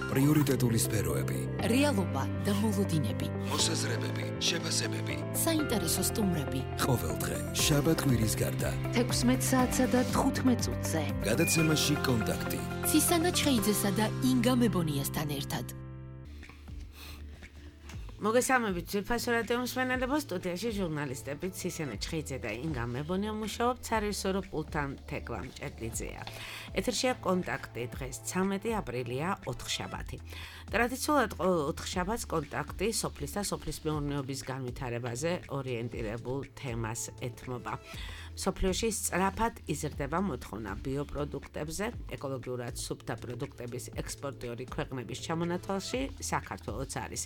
პრიორიტეტული სფეროები, რეალობა და მოლოდინები, მოსაზრებები, შეფასებები, საინტერესო სტუმრები. ყოველდღე შაბათ-კვირის გარდა 16 საათსა და 15 წუთზე. გადაცემაში კონტაქტი. ცისანა ჩხეიძესა და ინგა მებონიასთან ერთად. მოგესალმებით ძვირფასო რადიო მსმენელებო, სტუდიაში ჟურნალისტები ცისანა ჩხეიძე და ინგა მებონია მუშაობთ, სარევისორო პულტთან თეკლა მჭედლიძეა. ეთერშია კონტაქტი, დღეს 13 აპრილია, ოთხშაბათი. ტრადიციულად ყოველ ოთხშაბათს კონტაქტი სოფლის და სოფლის მეურნეობის განვითარებაზე ორიენტირებულ თემას ეთმობა. სოფლიოში სწრაფად იზრდება მოთხოვნა ბიოპროდუქტებზე, ეკოლოგიურად სუფთა პროდუქტების ექსპორტიორი ქვეყნების ჩამონათვალში საქართველოც არის.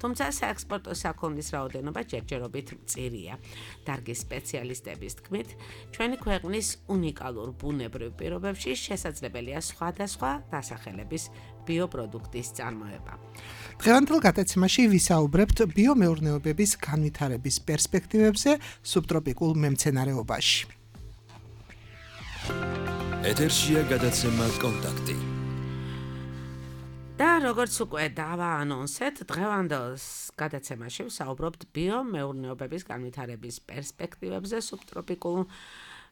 თუმცა საექსპორტო საქონლის რაოდენობა ჯერჯერობით მწირია. დარგის სპეციალისტების თქმით, ჩვენი ქვეყნის უნიკალურ ბუნებრივ პირობებში შესაძლებელია სხვადასხვა დასახელების ბიოპროდუქტის წარმოება. დღევანდელ გადაცემაში ვისაუბრებთ ბიომეურნეობების განვითარების პერსპექტივებზე სუბტროპიკულ მემცენარეობაში. ეთერშია გადაცემა კონტაქტი. და როგორც უკვე დავაანონსეთ, დღევანდელ გადაცემაში ვსაუბრობთ ბიომეურნეობების განვითარების პერსპექტივებზე სუბტროპიკულ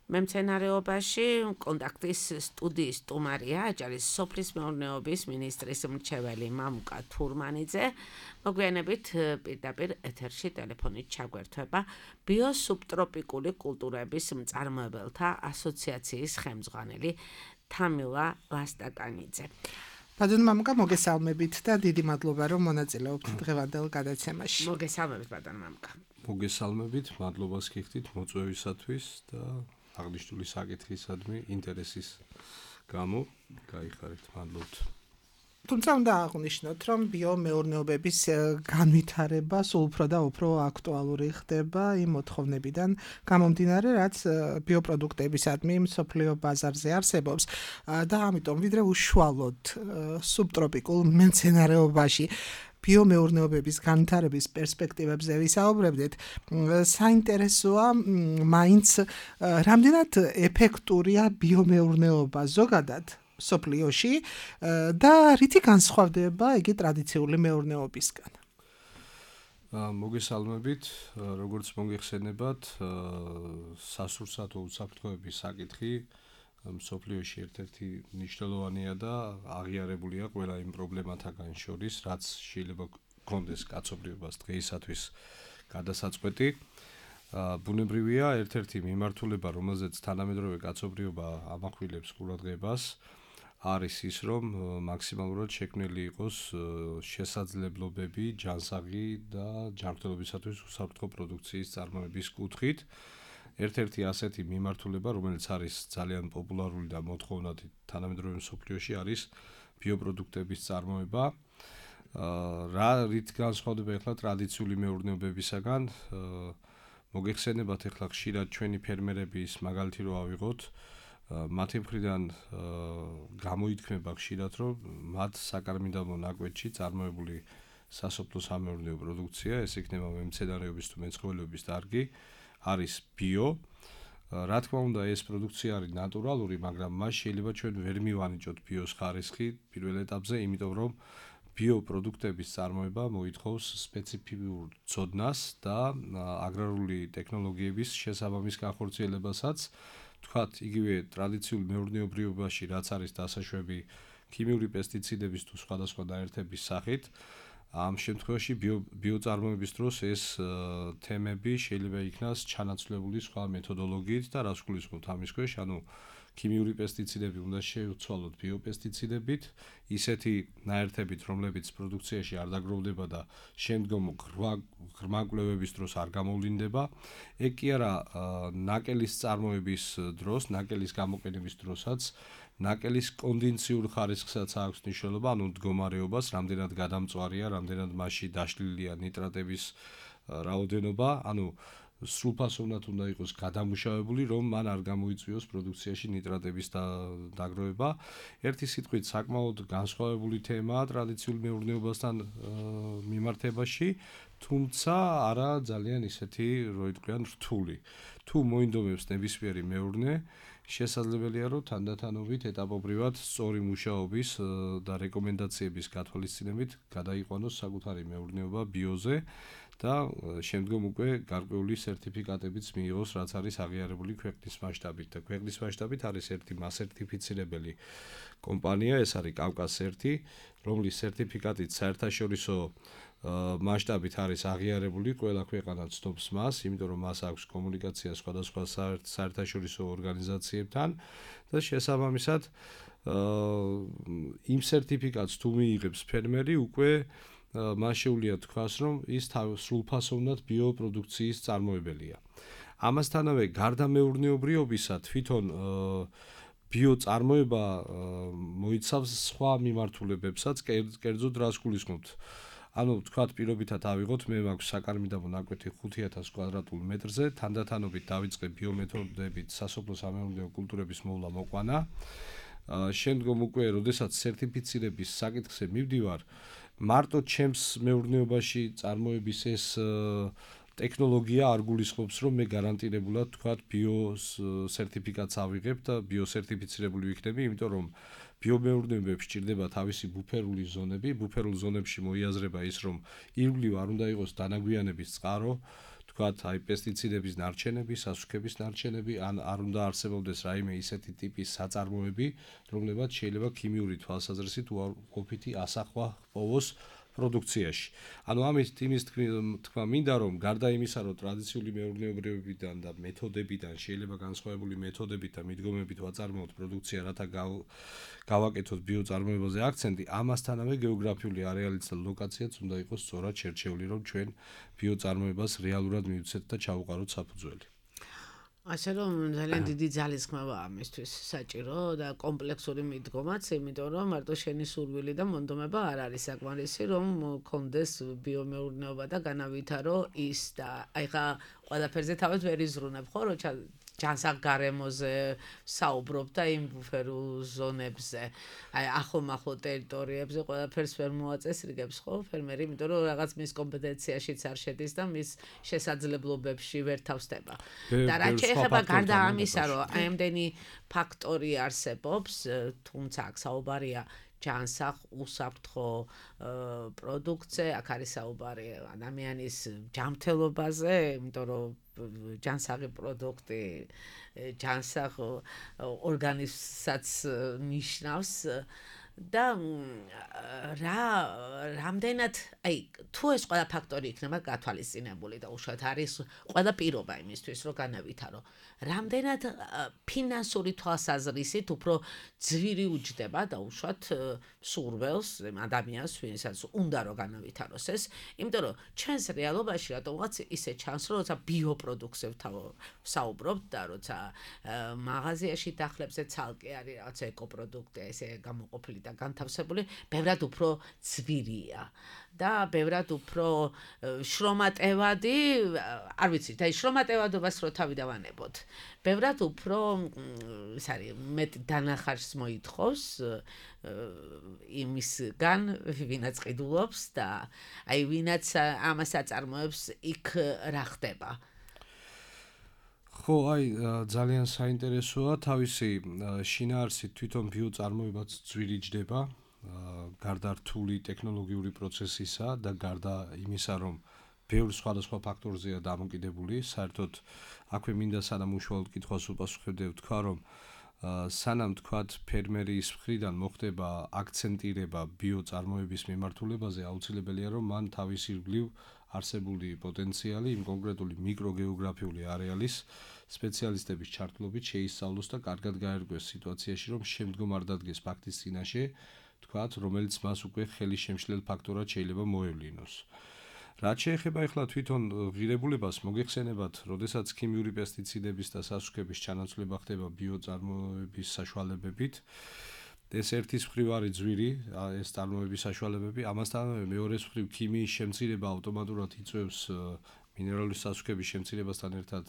მემცენარეობაში. კონტაქტის სტუდიის სტუმარია აჭარის სოფლის მეურნეობის მინისტრის მრჩეველი მამუკა თურმანიძე. მოგვიანებით პირდაპირ ეთერში ტელეფონით ჩაგვერთვება ბიოსუბტროპიკული კულტურების მწარმოებელთა ასოციაციის ხელმძღვანელი თამილა ლასტაკანიძე. ბატონო მამუკა, მოგესალმებით და დიდი მადლობა, რომ მონაწილეობთ დღევანდელ გადაცემაში. მოგესალმებით ბატონო მამუკა. მოგესალმებით, მადლობას გიხდით მოწვევისათვის და აღნიშნული საკითხისადმი ინტერესის გამო გაიხარეთ, მადლობთ. თუმცა უნდა აღვნიშნოთ, რომ ბიომეურნეობების განვითარება სულ უფრო და უფრო აქტუალური ხდება იმ მოთხოვნებიდან გამომდინარე, რაც ბიოპროდუქტებისადმი მსოფლიო ბაზარზე არსებობს და ამიტომ ვიდრე უშუალოდ სუბტროპიკულ მემცენარეობაში ბიომეურნეობების განვითარების პერსპექტივებზე ვისაუბრებდით, საინტერესოა მაინც რამდენად ეფექტურია ბიომეურნეობა ზოგადად სოფლიოში და რითი განსხვავდება იგი ტრადიციული მეურნეობისგან. მოგესალმებით, როგორც მოგეხსენებათ, სასურსათო უსაფრთხოების საკითხი სოფლიოში ერთ-ერთი მნიშვნელოვანია და აღიარებულია ყველა იმ პრობლემათაგან შორის, რაც შეიძლება გქონდეს კაცობრიობას დღეისათვის გადასაწყვეტი. ბუნებრივია ერთ-ერთი მიმართულება, რომელზეც თანამედროვე კაცობრიობა ამახვილებს ყურადღებას, არის ის, რომ მაქსიმალურად შექმნილი იყოს შესაძლებლობები ჯანსაღი და ჯანმრთელობისათვის უსაფრთხო პროდუქციის წარმოების კუთხით. ერთ-ერთი ასეთი მიმართულება, რომელიც არის ძალიან პოპულარული და მოთხოვნადი თანამედროვე მსოფლიოში, არის ბიოპროდუქტების წარმოება. რით განსხვავდება ახლა ტრადიციული მეურნეობებისაგან? მოგეხსენებათ ახლა ხშირად ჩვენი ფერმერები ის მაგალითი რო ავიღოთ, მათი მხრიდან გამოითქმება ხშირად, რომ მათ საკარმიდამო ნაკვეთში წარმოებული სასოფლო სამეურნეო პროდუქცია, ეს იქნება მემცენარეობის თუ მეცხოველეობის დარგი, არის ბიო. რა თქმა უნდა, ეს პროდუქცია არის ნატურალური, მაგრამ მას შეიძლება ჩვენ ვერ მივანიჭოთ ბიოს ხარისხი პირველ ეტაპზე, იმიტომ რომ ბიოპროდუქტების წარმოება მოითხოვს სპეციფიურ ცოდნას და აგრარული ტექნოლოგიების შესაბამის განხორციელებასაც. თქვათ, იგივე ტრადიციული მეურნეობრივობაში, რაც არის დასაშვები ქიმიური პესტიციდების თუ სხვადასხვა დაერთების სახით, ამ შემთხვევაში ბიოწარმოების დროს ეს თემები შეიძლება იქნას ჩანაცვლებული სხვა მეთოდოლოგიით და რას გულისხმობთ ამის ქვეშ, ანუ ქიმიური პესტიციდები უნდა შევცვალოთ ბიოპესტიციდებით, ისეთი ნაერთებით, რომლებიც პროდუქციაში არ დაგროვდება და შემდგომ ღრმა კვლევების დროს არ გამოვლინდება. ეგ კი არა ნაკელის წარმოების დროს, ნაკელის გამოყენების დროსაც, ნაკელის კონდენსიურ ხარისხსაც აქვს მნიშვნელობა, ანუ მდგომარეობას, რამდენად გადამწვარია, რამდენად მასში დაშლილია ნიტრატების რაოდენობა, ანუ სრულფასოვნად უნდა იყოს გადამუშავებული, რომ მან არ გამოიწვიოს პროდუქციაში ნიტრატების დაგროვება. ერთი სიტყვით, საკმაოდ განსხვავებული თემაა ტრადიციული მეურნეობასთან მიმართებაში, თუმცა არა ძალიან ისეთი, რო იტყვიან, რთული. თუ მოინდომებს ნებისმიერი მეურნე, შესაძლებელია რომ თანდათანობით ეტაპობრივად სწორი მუშაობის და რეკომენდაციების გათვალისწინებით გადაიყვანოს საკუთარი მეურნეობა ბიოზე და შემდგომ უკვე გარკვეული სერტიფიკატებიც მიიღოს, რაც არის აღიარებული ქვეყნის მასშტაბით და ქვეყნის მასშტაბით არის ერთი მასერტიფიცირებელი კომპანია, ეს არის კავკას-1, რომლის სერტიფიკატით საერთაშორისო მასშტაბით არის აღიარებული, ყველა ქვეყანა ცნობს მას, იმიტომ რომ მას აქვს კომუნიკაცია სხვადასხვა საერთაშორისო ორგანიზაციებთან და შესაბამისად იმ სერტიფიკატს თუ მიიღებს ფერმერი, უკვე მას შეუძლია თქვას, რომ ის სრულფასოვნად ბიოპროდუქციის წარმოებელია. ამასთანავე, გარდა მეურნეობრიობისა, თვითონ ბიოწარმოება მოიცავს სხვა მიმართულებებსაც, კერძოდ რას გულისხმობთ? ანუ თქვათ პირობითად ავიღოთ, მე მაქვს საკარმიდამო ნაკვეთი 5000 კვადრატულ მეტრზე, თანდათანობით დავიწყე ბიომეთოდებით სასოფლო-სამეურნეო კულტურების მოვლა-მოყვანა. შემდგომ უკვე, როდესაც სერტიფიცირების საკითხზე მივდივარ, მარტო ჩემს მეურნეობაში წარმოების ეს ტექნოლოგია არ გულისხმობს, რომ მე გარანტირებულად თქვათ ბიოს სერტიფიკატს ავიღებ და ბიოსერტიფიცირებული ვიქნები, იმიტომ რომ ბიომეურნეობებში ჭირდება თავისი ბუფერული ზონები, ბუფერულ ზონებში მოიაზრება ის, რომ ირგვლივ არ უნდა იყოს დანაგვიანების წყარო, თქვათ, აი პესტიციდების ნარჩენები, სასუქების ნარჩენები, ან არ უნდა არსებობდეს რაიმე ისეთი ტიპის საწარმოები, რომლებაც შეიძლება ქიმიური თვალსაზრისით უარყოფითი ასახვა ჰპოვოს პროდუქციაში. ანუ ამით იმის თქვა მინდა, რომ გარდა იმისა, რომ ტრადიციული მეურნეობრივებიდან და მეთოდებიდან შეიძლება განსხვავებული მეთოდებით და მიდგომებით ვაწარმოოთ პროდუქცია, რათა გავაკეთოთ ბიოწარმოებაზე აქცენტი, ამასთანავე გეოგრაფიული არეალიც და ლოკაციაც უნდა იყოს სწორად შერჩეული, რომ ჩვენ ბიოწარმოებას რეალურად მივცეთ და ჩავუყაროთ საფუძველი. ასე რომ ძალიან დიდი ძალისხმევა ამისთვის საჭირო და კომპლექსური მიდგომაც, იმიტომ რომ მარტო შენი სურვილი და მონდომება არ არის საკმარისი, რომ გქონდეს ბიომეურნეობა და განავითარო ის და აი ხა ყველაფერზე თავად ვერ იზრუნებ, ხო, რომ ჯანსაღ გარემოზე საუბრობ და იმ ბუფერულ ზონებზე, აი ახლო ტერიტორიებზე ყველაფერს ვერ მოაწესრიგებს, ხო, ფერმერი, იმიტომ რომ რაღაც მის კომპეტენციაშიც არ შედის და მის შესაძლებლობებში ვერ თავსდება. და რაც შეეხება გარდა ამისა, რომ აი ამდენი ფაქტორი არსებობს, თუმცა აქ საუბარია ჯანსაღ უსაფრთხო პროდუქცია, აქ არის საუბარი ადამიანის ჯანმრთელობაზე, იმიტომ რომ ჯანსაღი პროდუქტი ჯანსაღ ორგანიზმსაც ნიშნავს და რამდენად, აი, თუ ეს ყველა ფაქტორი იქნება გათვალისწინებული და უშუალოდ არის ყველა პირობა იმისთვის, რომ განავითარო, რამდენად ფინანსური თვალსაზრისით უფრო ძვირი უჯდება და უშუალოდ სურველს ადამიანს, ვინცაც უნდა რომ განავითაროს ეს, იმიტომ რომ ჩვენს რეალობაში რატომღაც ისე ჩანს, რომ როცა ბიოპროდუქციებთან საუბრობთ და როცა მაღაზიაში დახლებზე ცალკე არის რაღაც ეკოპროდუქტი, ესე გამოყოფილი და განთავსებული, ბევრად უფრო ძვირია და ბევრად უფრო შრომატევადი, არ ვიცით, აი შრომატევადობას რო თავი დავანებოთ. ბევრად უფრო ეს არის მეტ დანახარს მოითხოვს იმისგან, ვინაც ყიდულობს და აი ვინაც ამას აწარმოებს, იქ რა ხდება. ხო, აი ძალიან საინტერესოა, თავისი შინაარსით თვითონ ბიოწარმოებაც ძვირი ჯდება, გარდა რთული ტექნოლოგიური პროცესისა და გარდა იმისა, რომ ბევრ სხვადასხვა ფაქტორზეა დამოკიდებული, საერთოდ აქვე მინდა სანამ უშუალოდ კითხვას უპასუხებდე, ვთქვა, რომ სანამ თქვათ ფერმერის მხრიდან მოხდება აქცენტირება ბიოწარმოების მიმართულებაზე, აუცილებელია, რომ მან თავის ირგვლივ არსებული პოტენციალი იმ კონკრეტული მიკროგეოგრაფიული არეალის სპეციალისტების ჩართულობით შეისწავლოს და კარგად გაერკვეს სიტუაციაში, რომ შემდგომ არ დადგეს ფაქტის წინაშე, თქვათ, რომელიც მას უკვე ხელის შემშლელ ფაქტორად შეიძლება მოევლინოს. რაც შეეხება ახლა თვითონ ღირებულებას, მოგეხსენებათ, როდესაც ქიმიური პესტიციდების და სასუქების ჩანაცვლება ხდება ბიოწარმოების საშუალებებით, ეს ერთის მხრივ არის ძვირი, ეს წარმოების საშუალებები, ამასთანავე მეორეს მხრივ ქიმიის შემცირება ავტომატურად იწვევს მინერალური სასუქების შემცირებასთან ერთად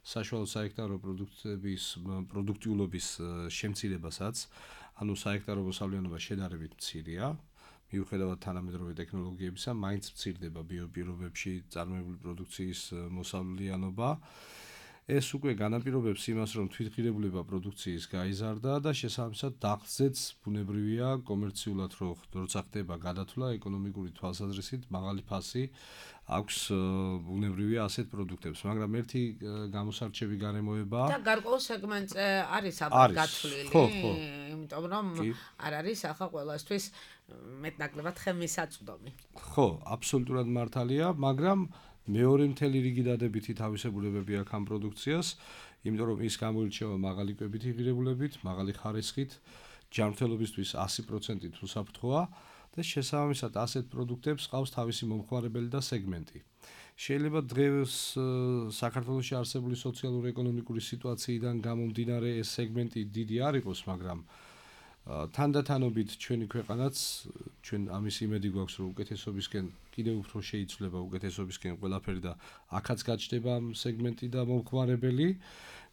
საშუალო საექტარო პროდუქტების პროდუქტიულობის შემცირებასაც, ანუ საექტარო მოსავლიანობა შედარებით მცირეა. მიუხედავად თანამედროვე ტექნოლოგიებისა, მაინც მცირდება ბიოპირობებში წარმოებული პროდუქციის მოსავლიანობა. ეს უკვე განაპირობებს იმას, რომ თვითღირებულება პროდუქციის გაიზარდა და შესაბამისად დახზეც ბუნებრივია კომერციულად როცა ხდება გადათვლა ეკონომიკური თვალსაზრისით მაღალი ფასი აქვს ბუნებრივია ასეთ პროდუქტებს, მაგრამ ერთი გამოსარჩევი გარემოებაა და გარკვეულ სეგმენტზე არის აბა გათვლილი, იმიტომ რომ არ არის ახლა ყველასთვის მეტნაკლებად ხელმისაწვდომი. ხო, აბსოლუტურად მართალია, მაგრამ მეორე მთელი რიგი დადებითი თავისებურებები აქვს ამ პროდუქციას, იმიტომ რომ ის გამოირჩევა მაღალი კვებითი ღირებულებით, მაღალი ხარისხით, ჯანმრთელობისთვის 100% უსაფრთხოა და შესაბამისად ასეთ პროდუქტებს ყავს თავისი მომხმარებელი და სეგმენტი. შეიძლება დღეს საქართველოში არსებული სოციალურ-ეკონომიკური სიტუაციიდან გამომდინარე ეს სეგმენტი დიდი არ იყოს, მაგრამ თანდათანობით ჩვენი ქვეყანაც ჩვენ ამის იმედი გვაქვს რომ უკეთესობისკენ კიდევ უფრო შეიცვლება უკეთესობისკენ ყველაფერი და აქაც გაჩნდება ამ სეგმენტი და მომხმარებელი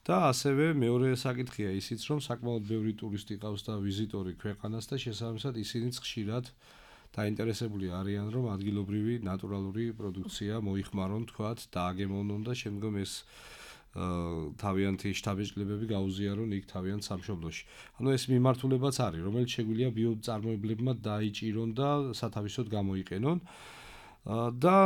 და ასევე მეორე საკითხია ისიც რომ საკმაოდ ბევრი ტურისტი ყავს და ვიზიტორი ქვეყანას და შესაბამისად ისინიც ხშირად დაინტერესებული არიან რომ ადგილობრივი ნატურალური პროდუქცია მოიხმარონ თქვათ დააგემოვნონ და შემდგომ ეს თავიანთი შთაბეჭდილებები გაუზიარონ იქ თავიანთ სამშობლოში. ანუ ეს მიმართულებაც არის, რომელიც შეგვიძლია ბიოწარმოებლებმა დაიჭირონ და სათავისოდ გამოიყენონ. და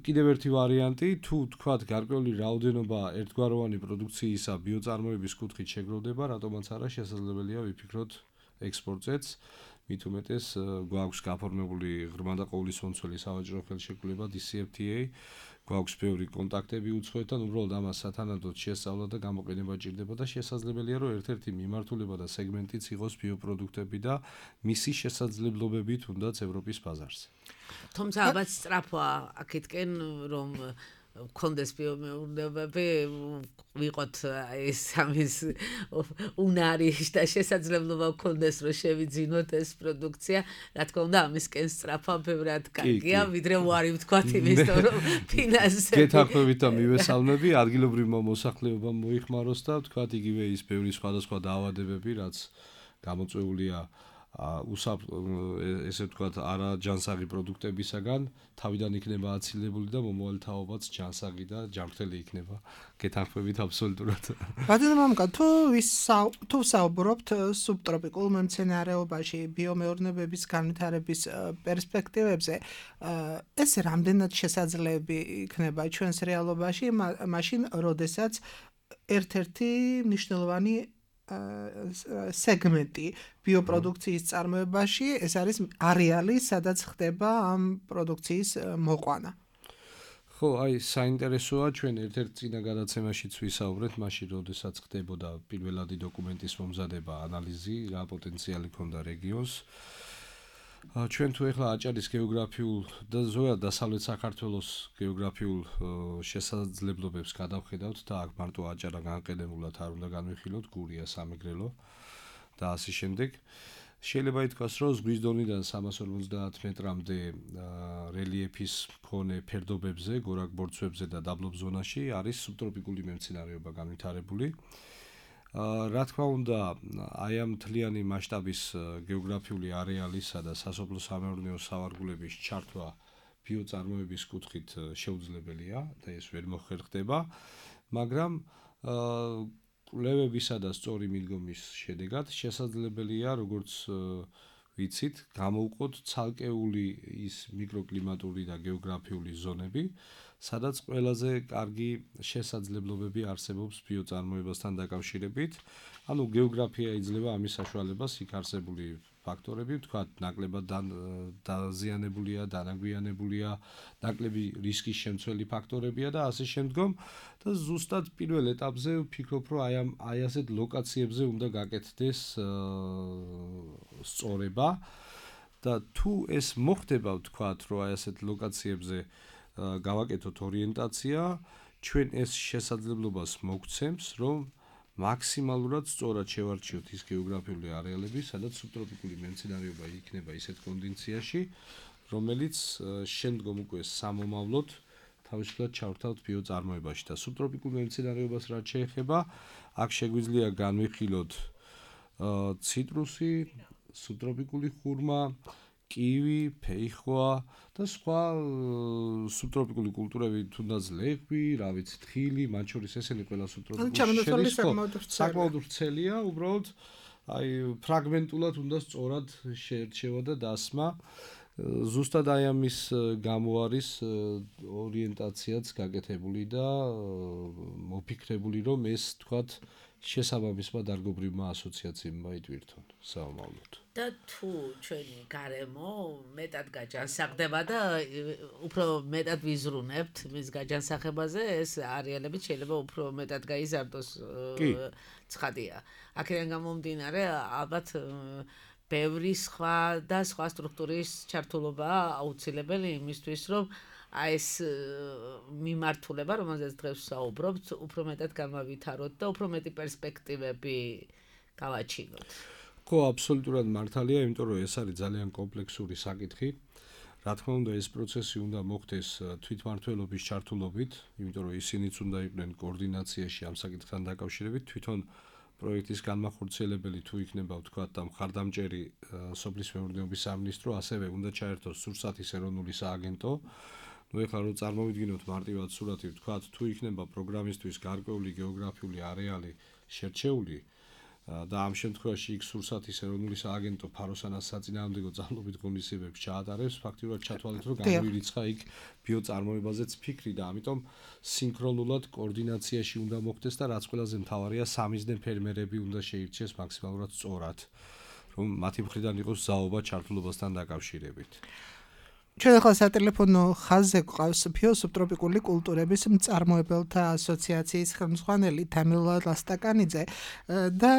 კიდევ ერთი ვარიანტი, თუ თქვათ გარკვეული რაოდენობა ერთგვაროვანი პროდუქციისა ბიოწარმოების კუთხით შეგროვდება, რატომაც არა შესაძლებელია ვიფიქროთ ექსპორტზეც. მით უმეტეს გვაქვს გაფორმებული ღრმა და ყოვლისმომცველი სავაჭრო ხელშეკრულება DCFTA, გვაქვს ბევრი კონტაქტები უცხოეთთან, უბრალოდ ამას სათანადოდ შესწავლა და გამოყენება ჭირდება და შესაძლებელია რომ ერთ-ერთი მიმართულება და სეგმენტიც იყოს ბიოპროდუქტები და მისი შესაძლებლობები თუნდაც ევროპის ბაზარზე. თუმცა ალბათ სწრაფია აქეთკენ რომ კონდეს ბიომეურნეობები ვიყოთ ეს ამის უნარი და შესაძლებლობა კონდეს რომ შევიძინოთ ეს პროდუქცია, რა თქმა უნდა ამისკენ სწრაფა ბევრად კარგია, ვიდრე უარი ვთქვათ იმის რომ ფინანსები გეთანხმებით და მივესალმები ადგილობრივმა მოსახლეობამ მოიხმაროს და ვთქვათ იგივე ის ბევრი სხვადასხვა დაავადებები რაც გამოწვეულია ესე ვთქვათ არა ჯანსაღი პროდუქტებისაგან თავიდან იქნება აცილებული და მომავალ თაობაც ჯანსაღი და ჯანმრთელი იქნება. გეთანხმებით აბსოლუტურად. ბატონო მამუკა, თუ საუბრობთ სუბტროპიკულ მემცენარეობაში ბიომეურნეობების განვითარების პერსპექტივებზე, ეს რამდენად შესაძლებელი იქნება ჩვენს რეალობაში, მაშინ როდესაც ერთ-ერთი მნიშვნელოვანი სეგმენტი ბიოპროდუქციის წარმოებაში ეს არის არეალი, სადაც ხდება ამ პროდუქციის მოყვანა. ხო, აი საინტერესოა ჩვენ ერთ-ერთ წინა გადაცემაშიც ვისაუბრეთ, მაშინ როდესაც ხდებოდა პირველადი დოკუმენტის მომზადება, ანალიზი, რა პოტენციალი ჰქონდა რეგიონს. ჩვენ თუ ეხლა აჭარის გეოგრაფიულ და ზოგადად დასავლეთ საქართველოს გეოგრაფიულ შესაძლებლობებს გადავხედავთ და აქ მარტო აჭარა განყენებულად არ უნდა განვიხილოთ, გურია, სამეგრელო და ასე შემდეგ. შეიძლება ითქვას, რომ ზღვის დონიდან 350 მეტრამდე რელიეფის მქონე ფერდობებზე, გორაკ-ბორცვებზე და დაბლობ ზონაში არის სუბტროპიკული მემცენარეობა განვითარებული. რა თქმა უნდა, აი ამ მთლიანი მასშტაბის გეოგრაფიული არეალისა და სასოფლო-სამეურნეო სავარგულების ჩართვა ბიოწარმოების კუთხით შეუძლებელია და ეს ვერ მოხერხდება, მაგრამ კვლევებისა და სწორი მიდგომის შედეგად შესაძლებელია, როგორც ვიცით, გამოვყოთ ცალკეული ის მიკროკლიმატური და გეოგრაფიული ზონები, სადაც ყველაზე კარგი შესაძლებლობები არსებობს ბიოწარმოებასთან დაკავშირებით. ანუ გეოგრაფია იძლევა ამის საშუალებას, იქ არსებული ფაქტორები, ვთქვათ, ნაკლებად დაზიანებულია, დანაგვიანებულია, ნაკლები რისკის შემცველი ფაქტორებია და ასე შემდგომ და ზუსტად პირველ ეტაპზე ვფიქრობ, რომ აი ასეთ ლოკაციებზე უნდა გაკეთდეს სწორება და თუ ეს მოხდება, ვთქვათ, რომ აი ასეთ ლოკაციებზე გავაკეთოთ ორიენტაცია, ჩვენ ეს შესაძლებლობას მოგცემს, რომ მაქსიმალურად სწორად შევარჩიოთ ის გეოგრაფიული არეალები, სადაც სუბტროპიკული მემცენარეობა იქნება ისეთ კონდიციაში, რომელიც შემდგომ უკვე სამომავლოდ თავისუფლად ჩავრთავთ ბიოწარმოებაში და სუბტროპიკულ მემცენარეობას რაც შეეხება, აქ შეგვიძლია განვიხილოთ ციტრუსი, სუბტროპიკული ხურმა, კივი, ფეიხვა და სხვა სუბტროპიკული კულტურები, თუნდაც ლეღვი, რა ვიცი, თხილი, მათ შორის ესენი ყველა სუბტროპიკული საკმაოდ ვრცელია, უბრალოდ აი ფრაგმენტულად უნდა სწორად შეერჩევა და დასმა. ზუსტად აი ამის გამო არის ორიენტაციაც გაკეთებული და მოფიქრებული, რომ ეს თქვათ შესაბამისმა დარგობრივმა ასოციაციებმა იტვირთონ საომავლოდ. და თუ ჩვენი გარემო მეტად გაჯანსაღდება და უფრო მეტად ვიზრუნებთ მის გაჯანსაღებაზე, ეს არეალები შეიძლება უფრო მეტად გაიზარდოს ცხადია. აქედან გამომდინარე, ალბათ ბევრი სხვა და სხვა სტრუქტურის ჩართულობაა აუცილებელი იმისთვის, რომ ეს მიმართულება, რომელზეც დღეს ვსაუბრობთ, უფრო მეტად გამავითაროთ და უფრო მეტი პერსპექტივები გავაჩინოთ. ხო, აბსოლუტურად მართალია, იმიტომ რომ ეს არის ძალიან კომპლექსური საკითხი. რა თქმა უნდა, ეს პროცესი უნდა მოხდეს თვითმმართველობის ჩართულობით, იმიტომ რომ ისინიც უნდა იყვნენ კოორდინაციაში ამ საკითხთან დაკავშირებით, თვითონ პროექტის განმახორციელებელი თუ იქნება ვთქვათ და მხარდამჭერი სოფლის მეურნეობის სამინისტრო, ასევე უნდა ჩაერთოს სურსათის ეროვნული სააგენტო. ნუ ეხლა რომ წარმოვიდგინოთ მარტივად სურათი, ვთქვათ, თუ იქნება პროგრამისთვის გარკვეული გეოგრაფიული არეალი შერჩეული და ამ შემთხვევაში იქ სურსათის ეროვნული სააგენტო ფაროსანას საწინააღმდეგო ძალობით ღონისძიებებს ჩაატარებს, ფაქტიურად ჩათვალეთ, რომ გამოირიცხა იქ ბიოწარმოებაზეც ფიქრი და ამიტომ სინქრონულად კოორდინაციაში უნდა მოხდეს და რაც ყველაზე მთავარია, სამიზნე ფერმერები უნდა შეირჩეს მაქსიმალურად სწორად, რომ მათი მხრიდან იყოს ზაობა ჩართულობასთან დაკავშირებით. ჩვენ ახლა სატელეფონო ხაზზე გვყავს ბიოსუბტროპიკული კულტურების მწარმოებელთა ასოციაციის ხელმძღვანელი თამილა ლასტაკანიძე და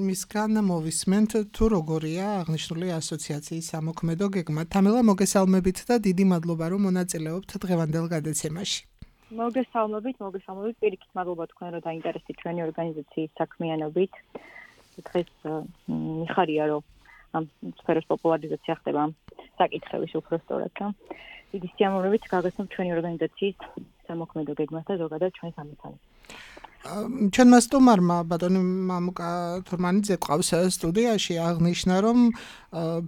მისგან მოვისმენთ თუ როგორია აღნიშნული ასოციაციის სამოქმედო გეგმა. თამილა, მოგესალმებით და დიდი მადლობა რომ მონაწილეობთ დღევანდელ გადაცემაში. მოგესალმებით, პირიქით მადლობა თქვენ რომ დაინტერესდით ჩვენი ორგანიზაციის საქმიანობით. დღეს მიხარია რომ ამ სფეროს პოპულარიზაცია ხდება საკითხების უფრო სწორად და დიდი სიამოვნებით გაგაცნობთ ჩვენი ორგანიზაციის სამოქმედო გეგმას და ზოგადად ჩვენს ამოცანებს. ჩვენმა სტუმარმა ბატონი მამუკა თურმანიძე ყავს სტუდიაში აღნიშნა რომ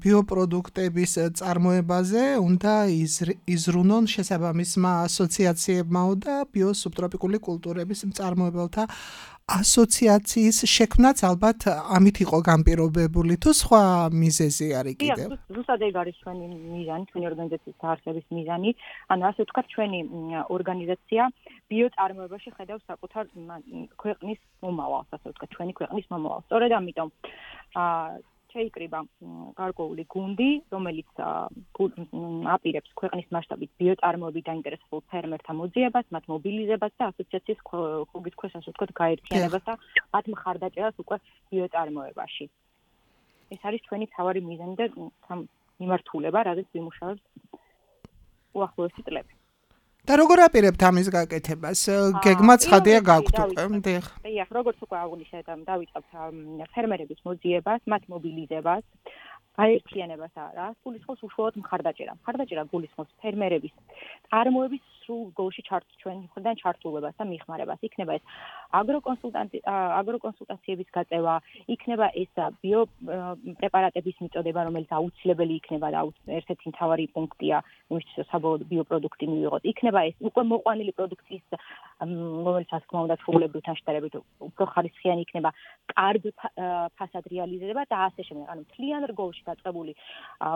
ბიოპროდუქტების წარმოებაზე უნდა იზრუნონ შესაბამისმა ასოციაციებმა და ბიოსუბტროპიკული კულტურების მწარმოებელთა ასოციაციის შექმნაც ალბათ ამით იყო განპირობებული თუ სხვა მიზეზი არის კიდევ? ზუსტად ეგ არის ჩვენი მიზანი, ჩვენი ორგანიზაციის დაარსების მიზანი. ანუ ასე ვთქვათ, ჩვენი ორგანიზაცია ბიოწარმოებაში ხედავს საკუთარ ქვეყნის მომავალს, ასე ვთქვათ, ჩვენი ქვეყნის მომავალს. სწორედ ამიტომ შეიკრიბა გარკვეული გუნდი, რომელიც აპირებს ქვეყნის მასშტაბით ბიოწარმოებით დაინტერესებულ ფერმერთა მოძიებას, მათ მობილიზებას და ასოციაციის ხუგის ქვეშ, ასე ვთქვათ, გაერთიანებას და მათ მხარდაჭერას უკვე ბიოწარმოებაში. ეს არის ჩვენი მთავარი მიზანი და მიმართულება, რაზეც ვიმუშავებთ უახლოესი წლები. და როგორ აპირებთ ამის გაკეთებას? გეგმა ცხადია გაქვთ უკვე, დიახ. დიახ, როგორც უკვე აღნიშნეთ, დავიწყებთ ფერმერების მოძიებას, მათ მობილიზებას, გაერთიანებას არა, გულისხმობს უშუალოდ მხარდაჭერა. მხარდაჭერა გულისხმობს ფერმერების წარმოების სრულ გოლში ჩვენ მხრიდან ჩართულობას და მიხმარებას. იქნება ეს აგროკონსულტაციების გაწევა, იქნება ეს ბიოპრეპარატების მიწოდება, რომელიც აუცილებელი იქნება და ერთ-ერთი მთავარი პუნქტია, იმისთვის საბოლოოდ ბიოპროდუქტი მივიღოთ. იქნება ეს უკვე მოყვანილი პროდუქციის, რომელიც ასე თქმა უნდა ჩვეულებრივთან შედარებით უფრო ხარისხიანი იქნება, კარგ ფასად რეალიზება და ასე შემდეგ. ანუ მთლიან რგოლში დაწყებული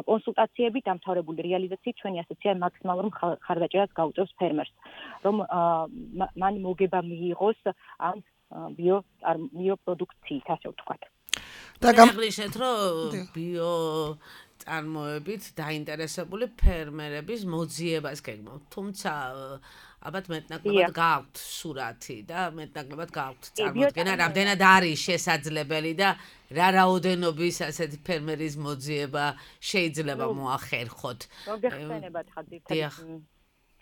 კონსულტაციები, დამთავრებული რეალიზაციით ჩვენი ასოციაცია მაქსიმალურ მხარდაჭერას გაუწევს ფერმერს, რომ მან მოგება მიიღოს ამ ბიოპროდუქციით, ასე ვთქვათ. და გამიგიშეთ, რომ ბიოწარმოებით დაინტერესებული ფერმერების მოძიებას გეგმავთ. თუმცა ალბათ მეტნაკლებად გაქვთ სურათი და მეტნაკლებად გაქვთ წარმოდგენა, რამდენად არის შესაძლებელი და რა რაოდენობის ასეთი ფერმერის მოძიება შეიძლება მოახერხოთ. მოგეხსენებათ ხაზი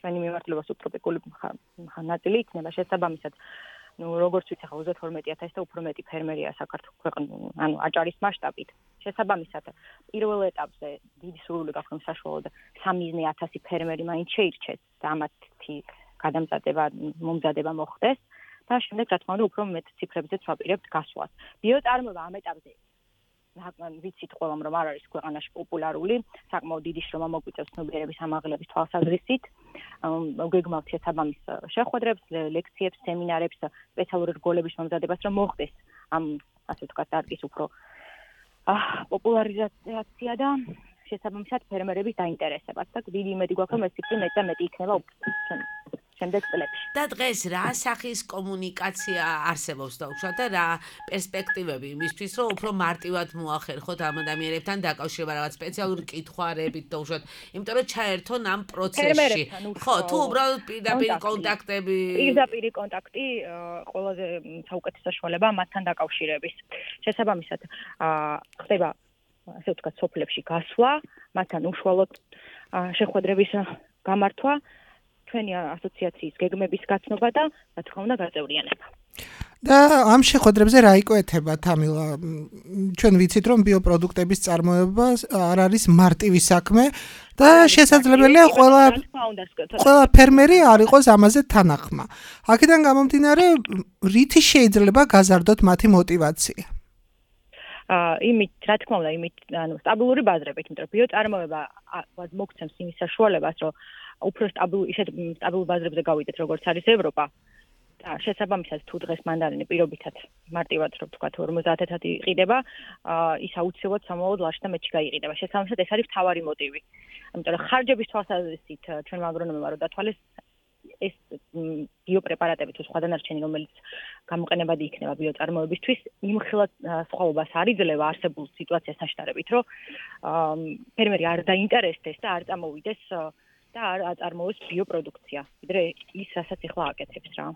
ჩვენი მიმართულება სუბტროპიკული ნაწილი იქნება შესაბამისად. როგორც ვიცი, ხა 32,000 და უფრო მეტი ფერმერია საქართველოს, ანუ აჭარის მასშტაბით. შესაბამისად, პირველ ეტაპზე დიდი სურვილი გაქვთ საშუალოდ 3,000 ფერმერი მაინც შეირჩეს და ამათი მომზადება მოხდეს და შემდეგ რა თქმა უნდა უფრო მეტ ციფრებზეც ვაპირებთ გასვლას. ბიოწარმოება ამ ეტაპზე ვიცით ყველამ რომ არ არის ქვეყანაში პოპულარული, საკმაოდ დიდი შრომა მოგვიწევს ცნობიერების ამაღლების თვალსაზრისით. გეგმავთ შესაბამის შეხვედრებს, ლექციებს, სემინარებს, სპეციალური რგოლების მომზადებას, რომ მოხდეს ამ ასე ვთქვათ დარგის უფრო პოპულარიზაცია და შესაბამისად ფერმერების დაინტერესებაც და დიდი იმედი გვაქვს რომ ეს ციფრი მეტ და მეტი იქნება შემდეგ წლებში. და დღეს რა სახის კომუნიკაცია არსებობს და უშუალოდ და რა პერსპექტივები იმისთვის რომ უფრო მარტივად მოახერხოთ ამ ადამიანებთან დაკავშირება რაღაც სპეციალური კითხვარებით და უშუალოდ იმიტომ რომ ჩაერთონ ამ პროცესში. ხო, თუ უბრალოდ პირდაპირ კონტაქტები პირდაპირ კონტაქტი ყველაზე საუკეთესო საშუალება მათთან დაკავშირების. შესაბამისად ხდება ასე ვთქვათ სოფლებში გასვლა, მათთან უშუალოდ შეხვედრების გამართვა, ჩვენი ასოციაციის გეგმების გაცნობა და რა თქმა უნდა გაწევრიანება. და ამ შეხვედრებზე რა იკვეთება თამილა? ჩვენ ვიცით რომ ბიოპროდუქტების წარმოება არ არის მარტივი საქმე და შესაძლებელია ყველა ფერმერი არ იყოს ამაზე თანახმა. აქედან გამომდინარე, რითი შეიძლება გაზარდოთ მათი мотиваცია? იმით, რა თქმა უნდა, იმით, სტაბილური ბაზრებით, იმიტომ რომ ბიოწარმოება მოგცემს იმის საშუალებას, რომ უფრო სტაბილურ ბაზრებზე გავიდეთ, როგორც არის ევროპა. და შესაბამისად, თუ დღეს მანდარინი პირობითად მარტივად, რომ ვთქვათ, 50-ად იყიდება, ის აუცილებლად სამოოდ ლაშთა მეტში გაიყიდება. შესაბამისად, ეს არის მთავარი მოტივი. იმიტომ რომ ხარჯების თვალსაზრისით ჩვენმა აგრონომებმა რომ დათვალეს ეს ბიოპრეპარატები თუ სხვა დანარჩენი, რომელიც გამოყენებადი იქნება ბიოწარმოებისთვის, იმხილად სხვაობას არ იძლევა არსებულ სიტუაციასთან შედარებით, რომ ფერმერი არ დაინტერესდეს და არ წამოვიდეს და არ აწარმოოს ბიოპროდუქცია, ვიდრე ის, რასაც ახლა აკეთებს რა.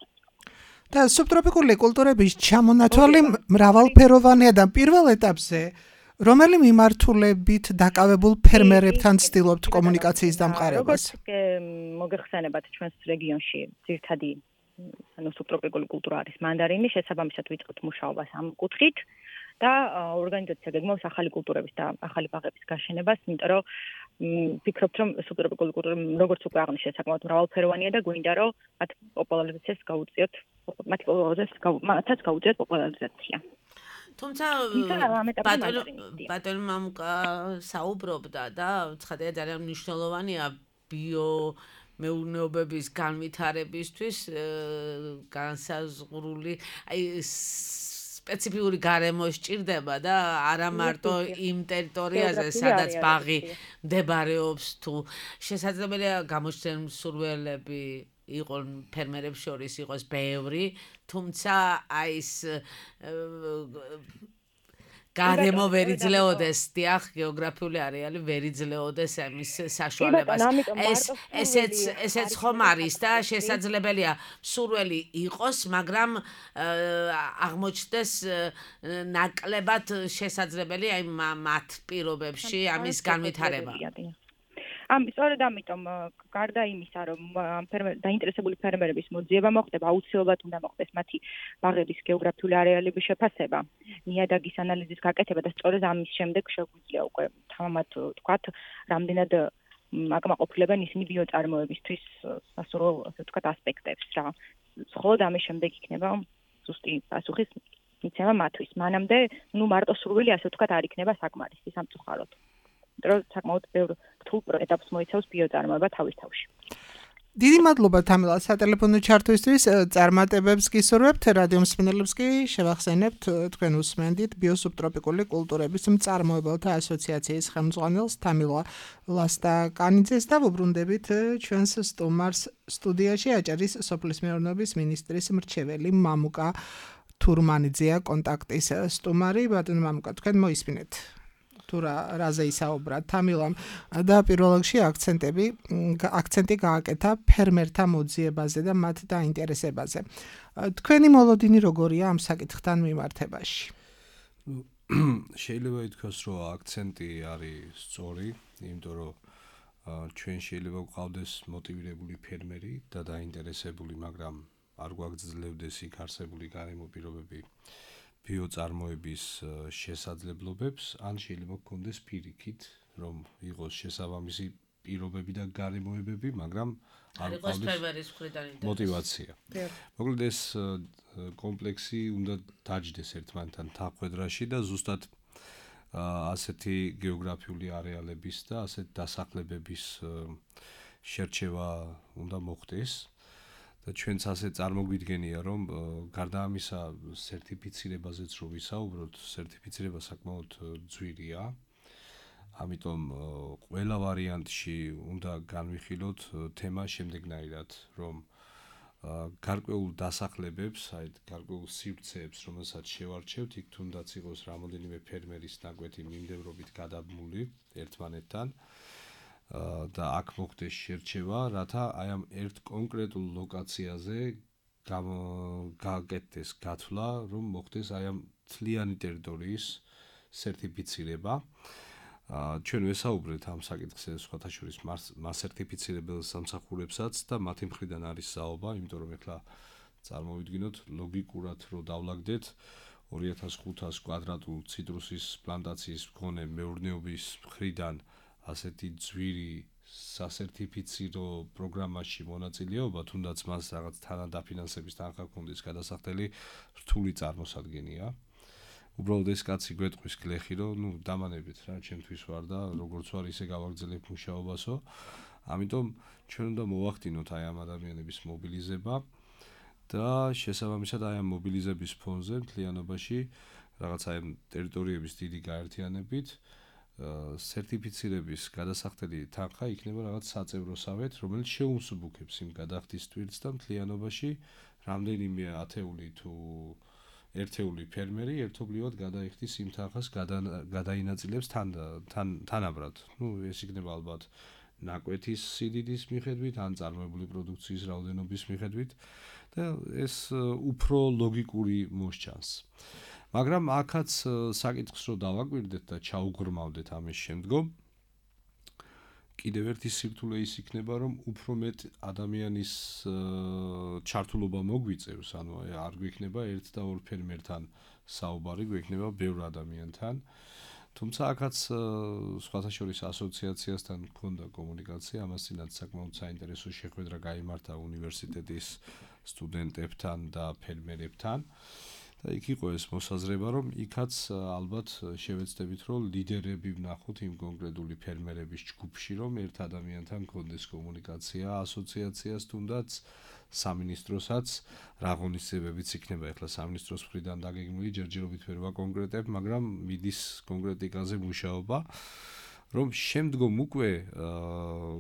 და სუბტროპიკული კულტურების ჩამონათვალი მრავალფეროვანია და პირველ ეტაპზე რომელი მიმართულებით დაკავებულ ფერმერებთან ცდილობთ კომუნიკაციის დამყარებას? მოგეხსენებათ ჩვენს რეგიონში ძირითადი სუბტროპიკული კულტურა არის მანდარინი, შესაბამისად ვიწყებთ მუშაობას ამ კუთხით და ორგანიზაცია გეგმავს ახალი კულტურების და ახალი ბაღების გაშენებას, იმიტომ რომ ვფიქრობთ რომ სუბტროპიკული კულტურა როგორც უკვე აღნიშნეთ, საკმაოდ მრავალფეროვანია და გვინდა რომ მათ პოპულარიზაციას გაუწიოთ, მათაც გაუწიოთ პოპულარიზაცია. თუმცა ბატონი მამუკა საუბრობდა და ცხადია ძალიან მნიშვნელოვანია ბიომეურნეობების განვითარებისთვის განსაზღვრული სპეციფიური გარემო სჭირდება და არა მარტო იმ ტერიტორიაზე, სადაც ბაღი მდებარეობს, თუ შესაძლებელია გამოჩნდნენ მსურველები იყონ ფერმერებს შორის იყოს ბევრი, თუმცა აი ეს გარემო ვერ იძლეოდეს, დიახ, გეოგრაფიული არეალი ვერ იძლეოდეს ამის საშუალებას. ესეც ხომ არის და შესაძლებელია მსურველი იყოს, მაგრამ აღმოჩნდეს ნაკლებად შესაძლებელია აი მათ პირობებში ამის განვითარება. სწორედ ამიტომ გარდა იმისა, რომ დაინტერესებული ფერმერების მოძიება მოხდება, აუცილებლად უნდა მოხდეს მათი ბაღების გეოგრაფიული არეალების შეფასება, ნიადაგის ანალიზის გაკეთება და სწორედ ამის შემდეგ შეგვიძლია უკვე თამამად ვთქვათ, რამდენად აკმაყოფილებენ ისინი ბიოწარმოებისთვის სასურველ, ასე ვთქვათ, ასპექტებს რა. მხოლოდ ამის შემდეგ იქნება ზუსტი პასუხის მიცემა მათთვის. მანამდე, მარტო სურვილი, ასე ვთქვათ, არ იქნება საკმარისი სამწუხაროდ. რომ საკმაოდ ბევრ რთულ ეტაპს მოიცავს ბიოწარმოება თავის თავში. დიდი მადლობა თამილა სატელეფონო ჩართვისთვის, წარმატებებს გისურვებთ, რადიო მსმენელებს კი შევახსენებთ თქვენ უსმენდით ბიოსუბტროპიკული კულტურების მწარმოებელთა ასოციაციის ხელმძღვანელს თამილა ლასტაკანიძეს და ვუბრუნდებით ჩვენს სტუმარს სტუდიაში აჭარის სოფლის მეურნეობის მინისტრის მრჩეველი მამუკა თურმანიძეა კონტაქტის სტუმარი. ბატონო მამუკა, თქვენ მოისმინეთ თუ რაზე ისაუბრა თამილამ და პირველ რიგში აქცენტი გააკეთა ფერმერთა მოძიებაზე და მათ დაინტერესებაზე. თქვენი მოლოდინი როგორია ამ საკითხთან მიმართებაში? შეიძლება ითქვას, რომ აქცენტი არის სწორი, იმიტომ რომ ჩვენ შეიძლება გვყავდეს მოტივირებული ფერმერი და დაინტერესებული, მაგრამ არ გვაგრძელებდეს იქ არსებული გარემო პირობები ბიოწარმოების შესაძლებლობებს, ან შეიძლება გქონდეს პირიქით, რომ იყოს შესაბამისი პირობები და გარემოებები, მაგრამ არ გქონდეს мотиваცია. მოკლედ ეს კომპლექსი უნდა დაჯდეს ერთმანეთთან თანხმდრაში და ზუსტად ასეთი გეოგრაფიული არეალების და ასეთ დასახლებების შერჩევა უნდა მოხდეს და ჩვენც ასე წარმოგვიდგენია რომ გარდა ამისა სერტიფიცირებაზეც რო ვისაუბროთ, სერტიფიცირება საკმაოდ ძვირია. ამიტომ ყველა ვარიანტში უნდა განვიხილოთ თემა შემდეგნაირად, რომ გარკვეულ დასახლებებს, აი გარკვეულ სივრცეებს, რომელსაც შევარჩევთ, იქ თუნდაც იყოს რამოდენიმე ფერმერის ნაკვეთი მიმდევრობით გადაბმული ერთმანეთთან და აქ მოხდეს შერჩევა, რათა აი ამ ერთ კონკრეტულ ლოკაციაზე გააკეთდეს გათვლა, რომ მოხდეს აი ამ მთლიანი ტერიტორიის სერტიფიცირება. ჩვენ ვესაუბრეთ ამ საკითხზე სხვათა შორის მასერტიფიცირებელ სამსახურებსაც და მათი მხრიდან არის საუბარ, იმიტომ რომ ეხლა წარმოვიდგინოთ ლოგიკურად რო დავლაგდეთ 2500 კვადრატულ ციტრუსის პლანტაციის მქონე მეურნეობის მხრიდან ასეთი ძვირი სასერტიფიცირო პროგრამაში მონაწილეობა, თუნდაც მას რაღაც თანადაფინანსების თანხა ჰქონდეს გადასახდელი, რთული წარმოსადგენია. უბრალოდ ეს კაცი გვეტყვის გლეხი, რომ დამანებით რა, ჩემთვის ვარ და როგორც ვარ ისე გავაგრძელებ მუშაობასო. ამიტომ ჩვენ უნდა მოვახდინოთ აი ამ ადამიანების მობილიზება და შესაბამისად აი ამ მობილიზების ფონზე მთლიანობაში რაღაც აი ამ ტერიტორიების დიდი გაერთიანებით სერტიფიცირების გადასახდელი თანხა იქნება რაღაც საწევროსავეთ, რომელიც შეუმსუბუქებს იმ გადახდის ტვირთს და მთლიანობაში რამდენიმე ათეული თუ ერთეული ფერმერი ერთობლივად გადაიხდის იმ თანხას გადაინაწილებს თანაბრად. ეს იქნება ალბათ ნაკვეთის სიდიდის მიხედვით, ან წარმოებული პროდუქციის რაოდენობის მიხედვით და ეს უფრო ლოგიკური მოსჩანს. მაგრამ აქაც საკითხს რო დავაკვირდეთ და ჩაუღრმავდეთ ამის შემდგომ, კიდევ ერთი სირთულე ის იქნება, რომ უფრო მეტ ადამიანის ჩართულობა მოგვიწევს, ანუ არ გვექნება ერთ და ორ ფერმერთან საუბარი, გვექნება ბევრ ადამიანთან. თუმცა აქაც სხვათა შორის ასოციაციასთან მქონდა კომუნიკაცია, ამასთანაც საკმაოდ საინტერესო შეხვედრა გაიმართა უნივერსიტეტის სტუდენტებთან და ფერმერებთან. და იქ იყო ეს მოსაზრება, რომ იქაც ალბათ შევეცდებით, რომ ლიდერები ვნახოთ იმ კონკრეტული ფერმერების ჯგუფში, რომ ერთ ადამიანთან კონდეს კომუნიკაცია, ასოციაციას თუნდაც სამინისტროსაც რა ღონისძიებებიც იქნება ახლა სამინისტროს მხრიდან დაგეგმილი, ჯერჯერობით ვერ ვაკონკრეტებ, მაგრამ მიდის კონკრეტიკაზე მუშაობა. რომ შემდგომ უკვე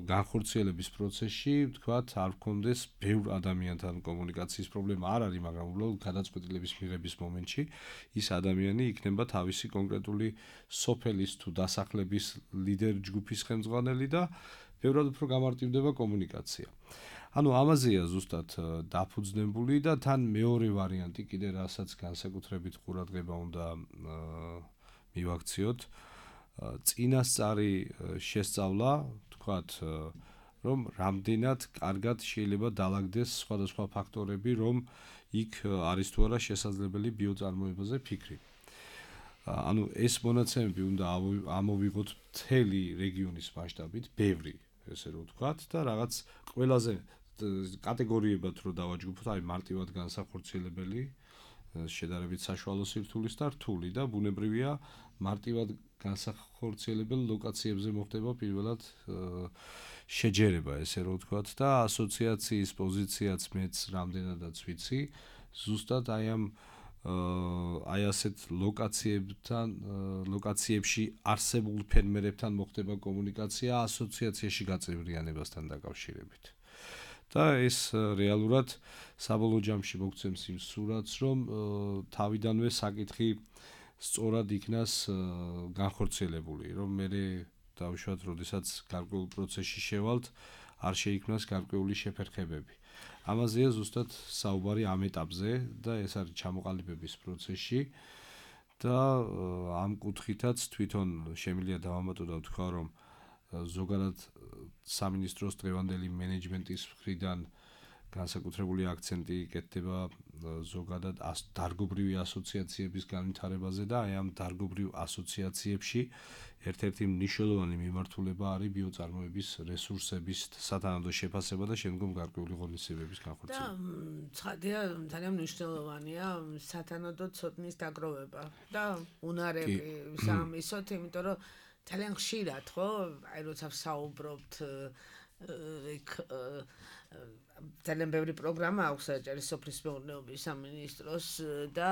განხორციელების პროცესში, თქვათ, არ გქონდეს ბევრ ადამიანთან კომუნიკაციის პრობლემა არ არის, მაგრამ უბრალოდ გადაწყვეტილების მიღების მომენტში ის ადამიანი იქნება თავისი კონკრეტული სოფელის თუ დასახლების ლიდერ ჯგუფის ხელმძღვანელი და ბევრად უფრო გამარტივდება კომუნიკაცია. ანუ ამაზეა ზუსტად დაფუძნებული და თან მეორე ვარიანტი კიდე რასაც განსაკუთრებით ყურადღება უნდა მივაქციოთ. წინასწარი შესწავლა, თქვათ, რომ რამდენად კარგად შეიძლება დალაგდეს სხვადასხვა ფაქტორები, რომ იქ არის თუ არა შესაძლებელი ბიოწარმოებაზე ფიქრი. ანუ ეს მონაცემები უნდა ამოვიღოთ მთელი რეგიონის მასშტაბით, ბევრი, ესე რომ ვთქვათ, და რაღაც ყველაზე კატეგორიებად რო დავაჯგუფოთ, აი მარტივად განსახორციელებელი, შედარებით საშუალო სირთულის და რთული და ბუნებრივია მარტივად განსახორციელებელ ლოკაციებზე მოხდება პირველად შეჯერება, ესე რომ ვთქვათ, და ასოციაციის პოზიციაც მეც რამდენადაც ვიცი, ზუსტად აი ასეთ ლოკაციებში არსებულ ფერმერებთან მოხდება კომუნიკაცია ასოციაციაში გაწევრიანებასთან დაკავშირებით. და ეს რეალურად საბოლოო ჯამში მოგცემს იმ სურათს, რომ თავიდანვე საკითხი სწორად იქნას განხორციელებული, რომ მე დავუშვათ, როდესაც გარკვეულ პროცესში შევალთ, არ შეიქმნას გარკვეული შეფერხებები. ამაზეა ზუსტად საუბარი ამ ეტაპზე და ეს არის ჩამოყალიბების პროცესში და ამ კუთხითაც თვითონ შემიძლია დავამატო და ვთქვა, რომ ზოგადად სამინისტროს დღევანდელი მენეჯმენტის მხრიდან განსაკუთრებული აქცენტი იკეთება ზოგადად დარგობრივი ასოციაციების განვითარებაზე და აი ამ დარგობრივ ასოციაციებში ერთ-ერთი მნიშვნელოვანი მიმართულება არის ბიოწარმოების რესურსების სათანადო შეფასება და შემდგომ გარკვეული ღონისძიებების განხორციელება. და ცხადია ძალიან მნიშვნელოვანია სათანადო ცოდნის დაგროვება და უნარები სამისოთ, იმიტომ რომ ძალიან ხშირად ხო, აი როცა ვსაუბრობთ იქ ძალიან ბევრი პროგრამა აქვს საჭირო სოფლის მეურნეობის სამინისტროს და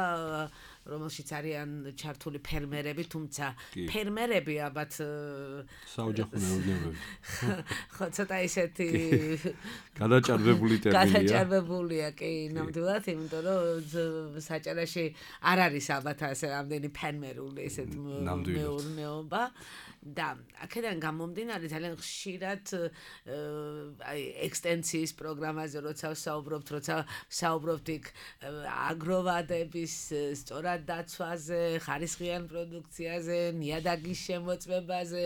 რომელშიც არიან ჩართული ფერმერები, თუმცა ფერმერები ალბათ საოჯახო მეურნეობები. ხო, ცოტა ისეთი გადაჭარბებული ტერმინია. გადაჭარბებულია, კი, ნამდვილად, იმიტომ რომ საჭარაში არ არის ალბათ ასე რამდენი ფერმერული ესეთ მეურნეობა და აქედან გამომდინარე ძალიან ხშირად აი ექსტენსიის პროგრამაზე როცა ვსაუბრობთ იქ აგროვადების სწორად დაცვაზე, ხარისხიან პროდუქციაზე, ნიადაგის შემოწმებაზე,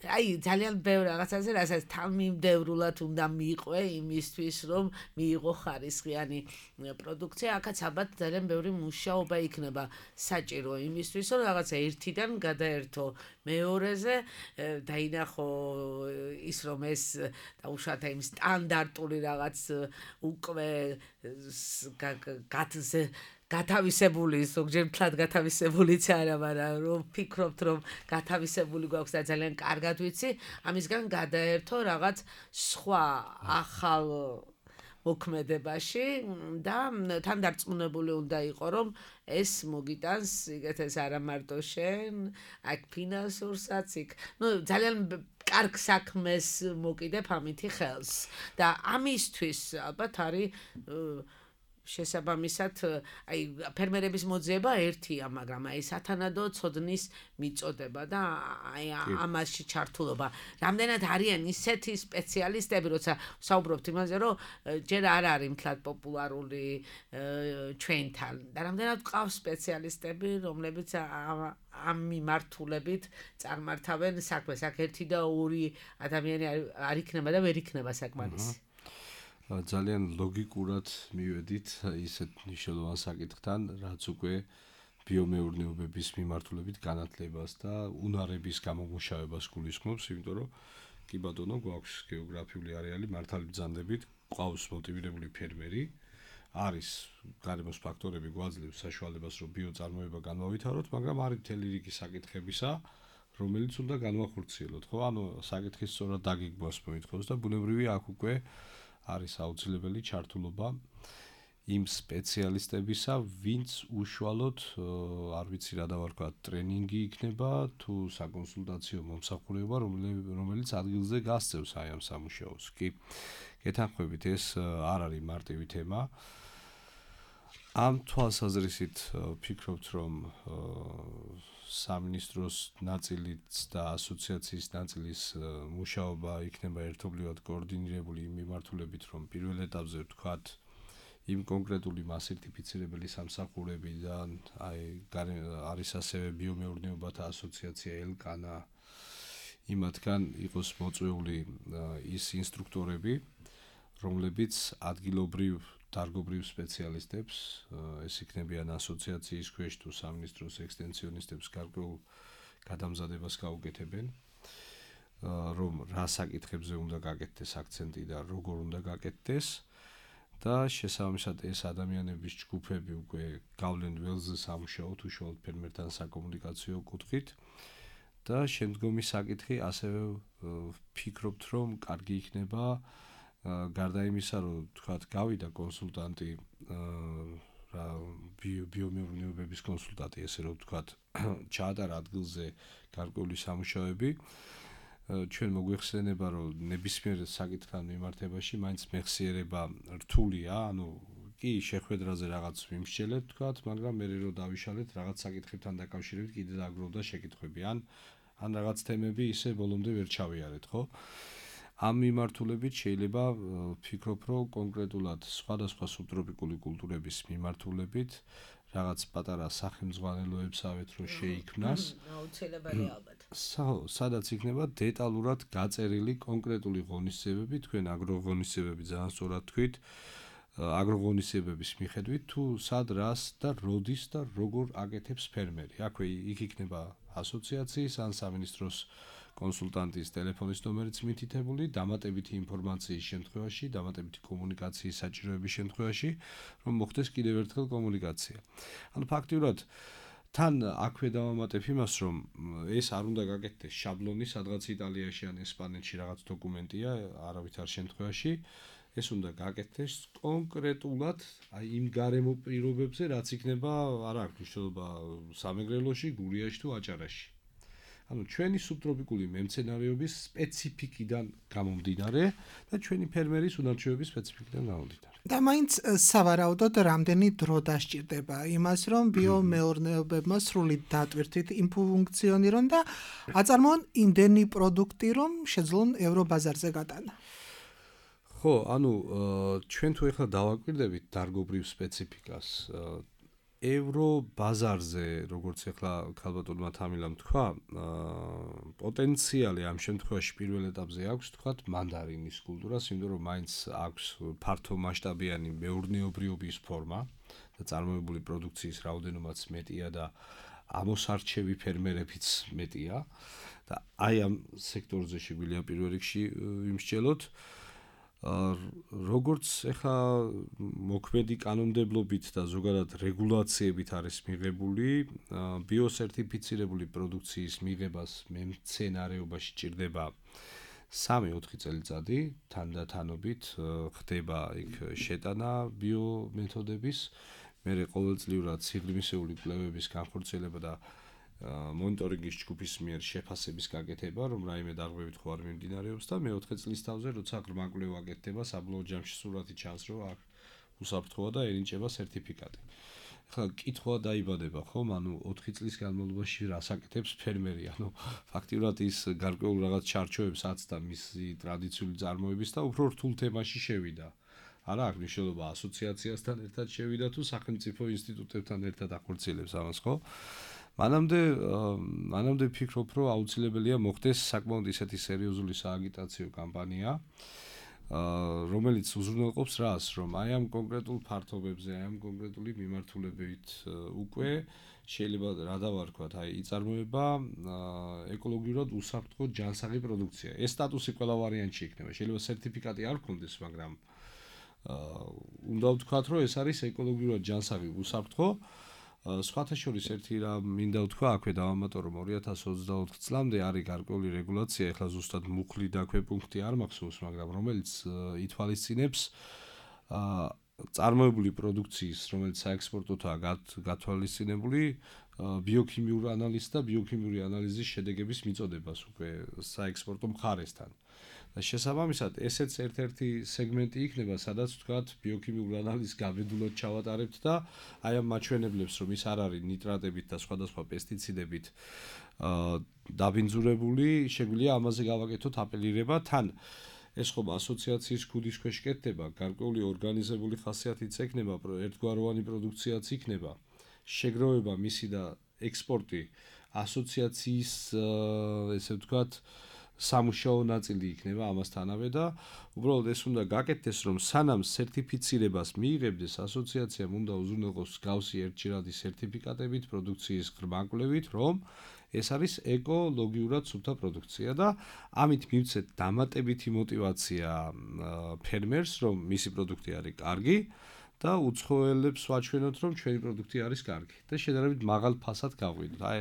აი ძალიან ბევრ რაღაცაზე, რასაც თანმიმდევრულად უნდა მიყვე იმისთვის, რომ მიიღო ხარისხიანი პროდუქცია, აქაც ალბათ ძალიან ბევრი მუშაობა იქნება საჭირო იმისთვის, რომ რაღაცა ერთიდან გადაერთო მეორეზე დაინახო ის რომ ეს დაუშვათ იმ სტანდარტული რაღაც უკვე გათავისებული ზოგჯერ მთლად გათავისებულიც არა, მაგრამ რომ ფიქრობთ რომ გათავისებული გვაქვს და ძალიან კარგად ვიცი, ამისგან გადაერთო რაღაც სხვა ახალ მოქმედებაში და თან დარწმუნებული უნდა იყო რომ ეს მოგიტანს იგეთეს არა მარტო შენ, აქ ფინანსურსაც იქ, ძალიან კარგ საქმეს მოკიდებ ამითი ხელს და ამისთვის ალბათ არის შესაბამისად აი ფერმერების მოძიება ერთია, მაგრამ აი სათანადო ცოდნის მიწოდება და აი ამაში ჩართულობა. რამდენად არიან ისეთი სპეციალისტები, როცა ვსაუბრობთ იმაზე, რომ ჯერ არ არის მთლად პოპულარული ჩვენთან და რამდენად ყავს სპეციალისტები, რომლებიც ამ მიმართულებით წარმართავენ საქმეს. აქ ერთი და ორი ადამიანი არ იქნება და ვერ იქნება საკმარისი. ძალიან ლოგიკურად მივედით ისეთ მნიშვნელოვან საკითხთან, რაც უკვე ბიომეურნეობების მიმართულებით განათლებას და უნარების გამომუშავებას გულისხმობს, იმიტომ რომ კი ბატონო, გვაქვს გეოგრაფიული არეალი, მართალი ბრძანდებით, ყავს მოტივირებული ფერმერი, არის გარემოს ფაქტორები გვაძლევს საშუალებას, რომ ბიოწარმოება განმავითაროთ, მაგრამ არის მთელი რიგი საკითხებისა, რომელიც უნდა განვახორციელოთ, ხო? ანუ საკითხის სწორად დაგეგმვას მოითხოვს და ბუნებრივია აქ უკვე არის აუცილებელი ჩართულობა იმ სპეციალისტებისა, ვინც უშუალოდ, არ ვიცი რა დავარქვა, ტრენინგი იქნება თუ საკონსულტაციო მომსახურება, რომელიც ადგილზე გასწევს აი ამ სამუშაოს. კი, გეთანხმებით, ეს არ არის მარტივი თემა. ამ თვალსაზრისით ვფიქრობთ, რომ სამინისტროს ნაწილიც და ასოციაციის ნაწილის მუშაობა იქნება ერთობლივად კოორდინირებული იმ მიმართულებით, რომ პირველ ეტაპზე ვთქვათ, იმ კონკრეტული მასერტიფიცირებელი სამსახურებიდან, აი არის ასევე ბიომეურნეობათა ასოციაცია ელკანა, იმათგან იყოს მოწვეული ის ინსტრუქტორები, რომლებიც ადგილობრივ დარგობრივ სპეციალისტებს, ეს იქნებიან ასოციაციის ქვეშ თუ სამინისტროს ექსტენსიონისტებს გარკვეულ გადამზადებას გაუკეთებენ, რომ რა საკითხებზე უნდა გაკეთდეს აქცენტი და როგორ უნდა გაკეთდეს და შესაბამისად ეს ადამიანების ჯგუფები უკვე გავლენ ველზე სამუშაოთ უშუალოდ ფერმერთან საკომუნიკაციო კუთხით და შემდგომი საკითხი ასევე ვფიქრობთ, რომ კარგი იქნება გარდა იმისა, რომ თქვათ გავიდა კონსულტანტი რა ბიომეურნეობების კონსულტანტი, ესე რომ ვთქვათ, ჩაატარა ადგილზე გარკვეული სამუშაოები, ჩვენ მოგვეხსენება, რომ ნებისმიერ საკითხთან მიმართებაში მაინც მეხსიერება რთულია, ანუ კი შეხვედრაზე რაღაც ვიმსჯელეთ, თქვათ, მაგრამ მე რო დავიშალეთ რაღაც საკითხებთან დაკავშირებით კიდე დაგროვდა შეკითხვები, ან რაღაც თემები ისე ბოლომდე ვერ ჩავიარეთ, ხო? ამ მიმართულებით შეიძლება ვფიქრობ, რომ კონკრეტულად სხვადასხვა სუბტროპიკული კულტურების მიმართულებით რაღაც პატარა სახელმძღვანელოებსავეთ რო შეიქმნას. აუცილებელი ალბათ. სადაც იქნება დეტალურად გაწერილი კონკრეტული ღონისძიებები, თქვენ აგროღონისძიებები ძალიან სწორად თქვით, აგროღონისძიებების მიხედვით თუ სად რას და როდის და როგორ აკეთებს ფერმერი. აქვე იქ იქნება ასოციაციის ან სამინისტროს კონსულტანტის ტელეფონის ნომერიც მითითებული, დამატებითი ინფორმაციის შემთხვევაში, დამატებითი კომუნიკაციის საჭიროების შემთხვევაში, რომ მოხდეს კიდევ ერთხელ კომუნიკაცია. ანუ ფაქტიურად თან აქვე დავამატებ იმას, რომ ეს არ უნდა გაკეთდეს შაბლონი, სადღაც იტალიაში ან ესპანეთში რაღაც დოკუმენტია, არავითარ შემთხვევაში ეს უნდა გაკეთდეს კონკრეტულად აი იმ გარემო პირობებზე, რაც იქნება, არა აქვს მნიშვნელობა სამეგრელოში, გურიაში თუ აჭარაში. ანუ ჩვენი სუბტროპიკული მემცენარეობის სპეციფიკიდან გამომდინარე და ჩვენი ფერმერის უნარჩვევების სპეციფიკიდან გამომდინარე. და მაინც სავარაუდოდ რამდენი დრო დასჭირდება იმას, რომ ბიომეურნეობებმა სრული დატვირთვით იმფუნქციონირონ და აწარმოონ იმდენი პროდუქტი, რომ შეძლონ ევრობაზარზე გატანა. ხო, ანუ ჩვენ თუ ეხლა დავაკვირდებით დარგობრივ სპეციფიკას, ევრობაზარზე, როგორც ეხლა ქალბატონმა თამილამ თქვა, პოტენციალი ამ შემთხვევაში პირველ ეტაპზე აქვს, თქვათ, მანდარინის კულტურას, იმიტომ რომ მაინც აქვს ფართო მასშტაბიანი მეურნეობრიობის ფორმა და წარმოებული პროდუქციის რაოდენობაც მეტია და ამოსარჩევი ფერმერებიც მეტია და აი ამ სექტორზე შეგვიძლია პირველ რიგში იმსჯელოთ. როგორც ეხლა მოქმედი კანონმდებლობით და ზოგადად რეგულაციებით არის მიღებული, ბიოსერტიფიცირებული პროდუქციის მიღებას მემცენარეობაში ჭირდება 3-4 წელიწადი, თანდათანობით ხდება იქ შეტანა ბიომეთოდების, მერე ყოველწლიურად სიღრმისეული კვლევების განხორციელება და მონიტორინგის ჯგუფის მიერ შეფასების გაკეთება, რომ რაიმე დარღვევით ხო არ მიმდინარეობს და მე-4 წლის თავზე, როცა ღრმა კვლევა გაკეთდება, საბოლოო ჯამში სურათი ჩანს, რომ აქ უსაფრთხოა და ენიჭება სერტიფიკატი. ახლა კითხვა დაიბადება, ხომ? ანუ 4 წლის განმავლობაში რას აკეთებს ფერმერი? ანუ ფაქტიურად ის გარკვეულ რაღაც ჩარჩოებს აცდა მისი ტრადიციული წარმოების და უფრო რთულ თემაში შევიდა. არა აქვს მნიშვნელობა ასოციაციასთან ერთად შევიდა თუ სახელმწიფო ინსტიტუტებთან ერთად ახორციელებს ამას, ხო? მანამდე ვფიქრობ, რომ აუცილებელია მოხდეს საკმაოდ ისეთი სერიოზული სააგიტაციო კამპანია, რომელიც უზრუნველყოფს რას, რომ აი ამ კონკრეტულ ფართობებზე, აი ამ კონკრეტული მიმართულებით უკვე შეიძლება რა დავარქვათ, აი იწარმოება ეკოლოგიურად უსაფრთხო ჯანსაღი პროდუქცია. ეს სტატუსი ყველა ვარიანტში იქნება. შეიძლება სერტიფიკატი არ გქონდეს, მაგრამ უნდა ვთქვათ, რომ ეს არის ეკოლოგიურად ჯანსაღი უსაფრთხო. სხვათა შორის ერთი რა მინდა ვთქვა, აქვე დავამატო, რომ 2024 წლამდე არის გარკვეული რეგულაცია, ეხლა ზუსტად მუხლი და ქვეპუნქტი არ მახსოვს, მაგრამ რომელიც ითვალისწინებს წარმოებული პროდუქციის, რომელიც საექსპორტოთაა გათვალისწინებული, ბიოქიმიური ანალიზი და ბიოქიმიური ანალიზის შედეგების მიწოდებას უკვე საექსპორტო მხარესთან. და შესაბამისად, ესეც ერთ-ერთი სეგმენტი იქნება, სადაც ვთქვათ, ბიოქიმიური ანალიზის გაბედულად ჩავატარებთ და აი ამ მაჩვენებლებს, რომ ის არ არის ნიტრატებით და სხვადასხვა პესტიციდებით დაბინძურებული, შეგვიძლია ამაზე გავაკეთოთ აპელირება თან. ეს ხომ ასოციაციის ქუდის ქვეშ კეთდება, გარკვეული ორგანიზებული ხასიათიც ექნება, ერთგვაროვანი პროდუქციაც იქნება, შეგროვება მისი და ექსპორტი ასოციაციის, ესე ვთქვათ, სამუშაო ნაწილი იქნება ამასთანავე და უბრალოდ ეს უნდა გაკეთდეს, რომ სანამ სერტიფიცირებას მიიღებდეს, ასოციაციამ უნდა უზრუნველყოს მსგავსი ერთჯერადი სერტიფიკატებით, პროდუქციის ღრმა კვლევით, რომ ეს არის ეკოლოგიურად სუფთა პროდუქცია და ამით მივცეთ დამატებითი мотиваცია ფერმერს, რომ მისი პროდუქტი არის კარგი და უცხოელებს ვაჩვენოთ, რომ ჩვენი პროდუქტი არის კარგი და შედარებით მაღალ ფასად გავყიდოთ. აი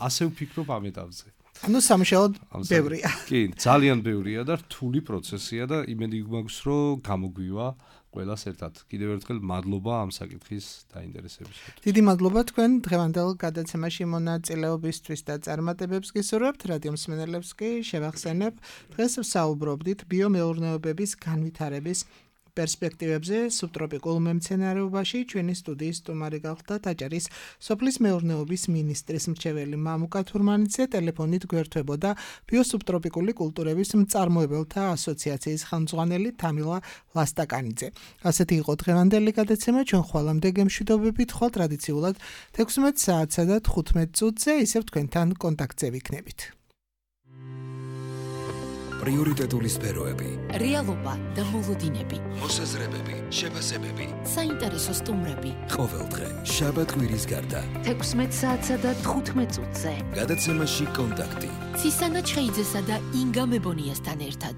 ასე ვფიქრობ ამ ეტაპზე. ანუ სამუშაო ბევრია. კი, ძალიან ბევრია და რთული პროცესია და იმედი გვაქვს, რომ გამოგვივა ყველას ერთად. კიდევ ერთხელ მადლობა ამ საკითხის დაინტერესებისთვის. დიდი მადლობა თქვენ დღევანდელ გადაცემაში მონაწილეობისთვის და წარმატებებს გისურვებთ. რადიო მსმენელებს კი შევახსენებ, დღეს ვსაუბრობდით ბიომეურნეობების განვითარების პერსპექტივებზე სუბტროპიკულ მემცენარეობაში. ჩვენი სტუდიის სტუმარი გახლდათ აჭარის სოფლის მეურნეობის მინისტრის მრჩეველი მამუკა თურმანიძე. ტელეფონით გვერდებოდა ბიოსუბტროპიკული კულტურების მწარმოებელთა ასოციაციის ხელმძღვანელი თამილა ლასტაკანიძე. ასეთი იყო დღევანდელი გადაცემა. ჩვენ ხვალამდე გემშვიდობებით, ხვალ ტრადიციულად 16 საათსა და 15 წუთზე ისევ თქვენთან კონტაქტზე ვიქნებით. პრიორიტეტული სფეროები, რეალობა და მოლოდინები, მოსაზრებები, შეფასებები. საინტერესო სტუმრები. ყოველდღე შაბათ კვირის გარდა 16 საათსა და 15 წუთზე. გადაცემაში კონტაქტი. ცისანა ჩხეიძესა და ინგა მებონიასთან ერთად.